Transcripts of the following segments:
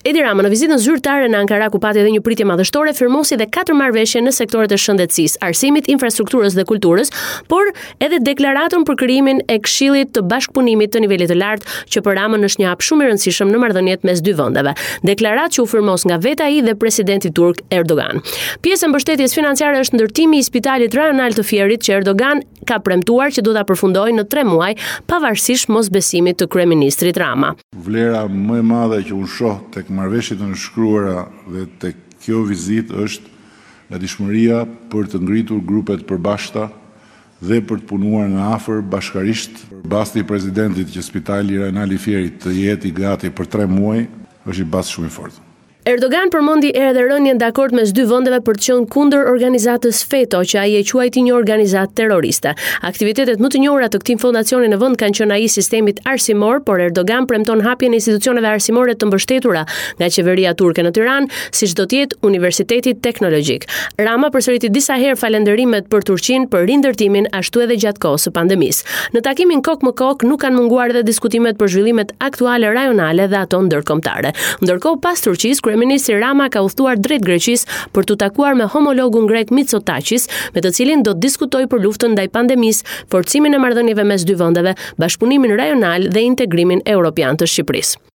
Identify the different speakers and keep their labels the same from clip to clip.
Speaker 1: Edi Rama në vizitën zyrtare në Ankara ku pati edhe një pritje madhështore firmosi dhe katër marrëveshje në sektorët e shëndetësisë, arsimit, infrastrukturës dhe kulturës, por edhe deklaratën për krijimin e Këshillit të Bashkëpunimit të nivelit të lartë, që për Ramën është një hap shumë i rëndësishëm në marrëdhëniet mes dy vendeve. Deklaratë që u firmos nga vetë ai dhe presidenti turk Erdogan. Pjesë e mbështetjes financiare është ndërtimi i spitalit rajonal të Fierit që Erdogan ka premtuar që do ta përfundojë në 3 muaj, pavarësisht mosbesimit të kryeministrit Rama.
Speaker 2: Vlera më e madhe që unë shoh tek marrëveshjet e nënshkruara dhe tek kjo vizitë është gatishmëria për të ngritur grupe të përbashkëta dhe për të punuar nga afër bashkarisht. Basti i presidentit që spitali rajonal i Fierit të jetë i gati për tre muaj është një bast shumë i fortë.
Speaker 1: Erdogan përmendi edhe rënien dakord mes dy vendeve për të qenë kundër organizatës FETO, që ai e quajti një organizatë terroriste. Aktivitetet më të njohura të këtij fondacioni në vend kanë qenë ai i sistemit arsimor, por Erdogan premton hapjen e institucioneve arsimore të mbështetura nga qeveria turke në Tiranë, siç do të jetë Universiteti Teknologjik. Rama përsëriti disa herë falënderimet për Turqinë për rindërtimin ashtu edhe gjatë kohës së pandemisë. Në takimin kokë më kokë nuk kanë munguar edhe diskutimet për zhvillimet aktuale rajonale dhe ato ndërkombëtare. Ndërkohë pas Turqisë, kryeministri Rama ka udhëtuar drejt Greqisë për t'u takuar me homologun grek Mitsotakis, me të cilin do të diskutojë për luftën ndaj pandemisë, forcimin e marrëdhënieve mes dy vendeve, bashkëpunimin rajonal dhe integrimin europian të Shqipërisë.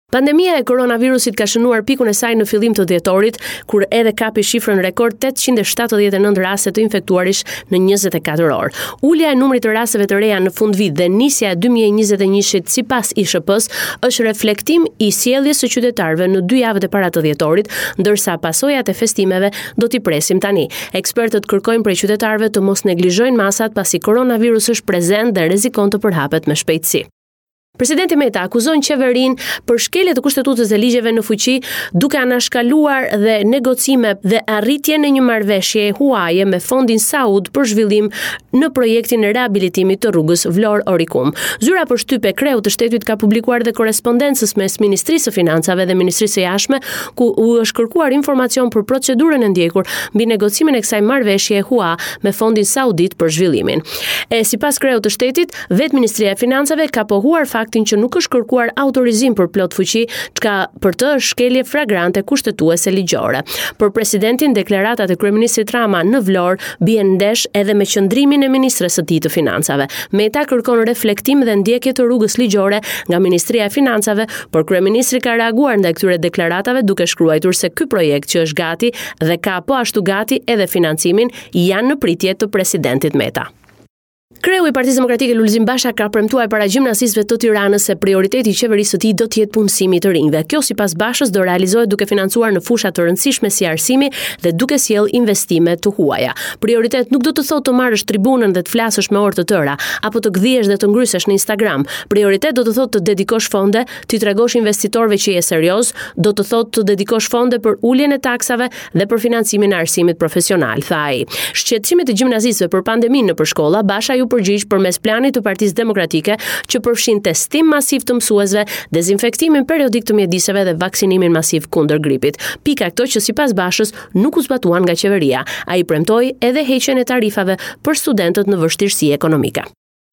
Speaker 1: Pandemia e koronavirusit ka shënuar pikun e saj në fillim të dhjetorit, kur edhe kapi shifrën rekord 879 raste të infektuarish në 24 orë. Ulja e numrit të rasteve të reja në fundvit dhe nisja e 2021-shit sipas ISHP-së është reflektim i sjelljes së qytetarëve në dy javët e para të dhjetorit, ndërsa pasojat e festimeve do t'i presim tani. Ekspertët kërkojnë prej qytetarëve të mos neglizhojnë masat pasi koronavirus është prezent dhe rrezikon të përhapet me shpejtësi. Presidenti Meta akuzon qeverinë për shkelje të kushtetutës dhe ligjeve në fuqi, duke anashkaluar dhe negocime dhe arritjen e një marrëveshjeje huaje me Fondin Saud për zhvillim në projektin e rehabilitimit të rrugës Vlorë-Orikum. Zyra për shtyp e kreut të shtetit ka publikuar dhe korrespondencës mes Ministrisë së Financave dhe Ministrisë së Jashtme, ku u është kërkuar informacion për procedurën e ndjekur mbi negocimin e kësaj marrëveshjeje hua me Fondin Saudit për zhvillimin. E sipas kreut të shtetit, Vetë Ministria e Financave ka pohuar faktin që nuk është kërkuar autorizim për plot fuqi, çka për të është shkelje flagrante kushtetuese ligjore. Për presidentin, deklaratat e kryeministrit Rama në Vlorë bien ndesh edhe me qëndrimin e ministres së tij të Financave. Meta kërkon reflektim dhe ndjekje të rrugës ligjore nga Ministria e Financave, por kryeministri ka reaguar ndaj këtyre deklaratave duke shkruajtur se ky projekt që është gati dhe ka po ashtu gati edhe financimin janë në pritje të presidentit Meta. Kreu i Partisë Demokratike Lulzim Basha ka premtuar para gjimnazistëve të Tiranës se prioriteti i qeverisë së tij do të jetë punësimi i të rinjve. Kjo sipas Bashës do realizohet duke financuar në fusha të rëndësishme si arsimi dhe duke sjellë investime të huaja. Prioritet nuk do të thotë të marrësh tribunën dhe të flasësh me orë të tëra, apo të gdhihesh dhe të ngrysesh në Instagram. Prioritet do të thotë të dedikosh fonde, t'i tregosh investitorëve që je serioz, do të thotë të dedikosh fonde për uljen e taksave dhe për financimin e arsimit profesional, tha ai. Shqetësimit të gjimnazistëve për pandeminë nëpër shkolla, Basha iu përgjigj përmes planit të Partisë Demokratike që përfshin testim masiv të mësuesve, dezinfektimin periodik të mjediseve dhe vaksinimin masiv kundër gripit. Pika këto që sipas Bashës nuk u zbatuan nga qeveria. Ai premtoi edhe heqjen e tarifave për studentët në vështirësi ekonomike.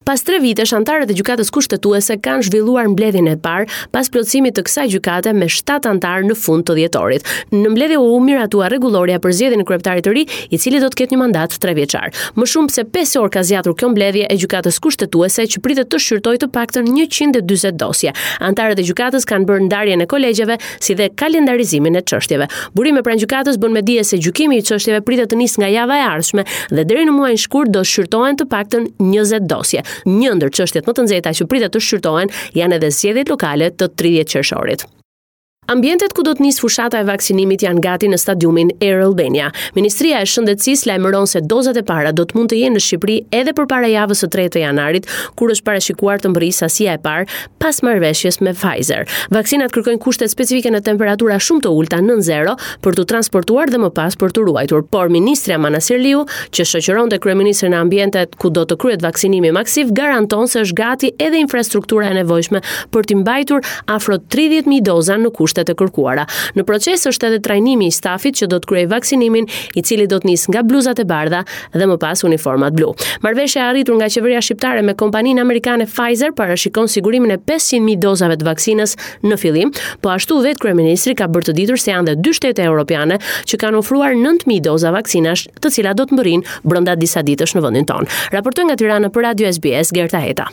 Speaker 1: Pas tre vitesh, anëtarët e Gjykatës Kushtetuese kanë zhvilluar mbledhjen e parë pas plotësimit të kësaj gjykate me 7 anëtarë në fund të dhjetorit. Në mbledhje u miratua rregullorja për zgjedhjen e kryetarit të ri, i cili do të ketë një mandat 3 vjeçar. Më shumë se 5 orë ka zgjatur kjo mbledhje e Gjykatës Kushtetuese që pritet të shqyrtojë të paktën 140 dosje. Anëtarët e gjykatës kanë bërë ndarjen e kolegjeve si dhe kalendarizimin e çështjeve. Burime pranë gjykatës bënë me dije se gjykimi i çështjeve pritet të nisë nga java e ardhshme dhe deri në muajin shkurt do shqyrtohen të paktën 20 dosje. Një ndër çështjet më të nxehta që pritet të shqyrtohen janë edhe zgjedhjet lokale të 30 qershorit. Ambientet ku do të nisë fushata e vaksinimit janë gati në stadiumin Air Albania. Ministria e Shëndetësisë lajmëron se dozat e para do të mund të jenë në Shqipëri edhe përpara javës së tretë të janarit, kur është parashikuar të mbërrijë sasia e parë pas marrëveshjes me Pfizer. Vaksinat kërkojnë kushte specifike në temperatura shumë të ulëta nën zero për t'u transportuar dhe më pas për t'u ruajtur. Por ministrja Manastirliu, që shoqëronte kryeministrin në ambientet ku do të kryhet vaksinimi masiv, garanton se është gati edhe infrastruktura e nevojshme për t'i mbajtur afro 30.000 doza në kushte. kushtet e kërkuara. Në proces është edhe trajnimi i stafit që do të kryejë vaksinimin, i cili do të nisë nga bluzat e bardha dhe më pas uniformat blu. Marrëveshja e arritur nga qeveria shqiptare me kompaninë amerikane Pfizer parashikon sigurimin e 500.000 dozave të vaksinës në fillim. Po ashtu vetë kryeministri ka bërë të ditur se janë dhe dy shtete europiane që kanë ofruar 9000 doza vaksinash, të cilat do të mbërrijnë brenda disa ditësh në vendin tonë. Raportoi nga Tirana për Radio SBS Gerta Heta.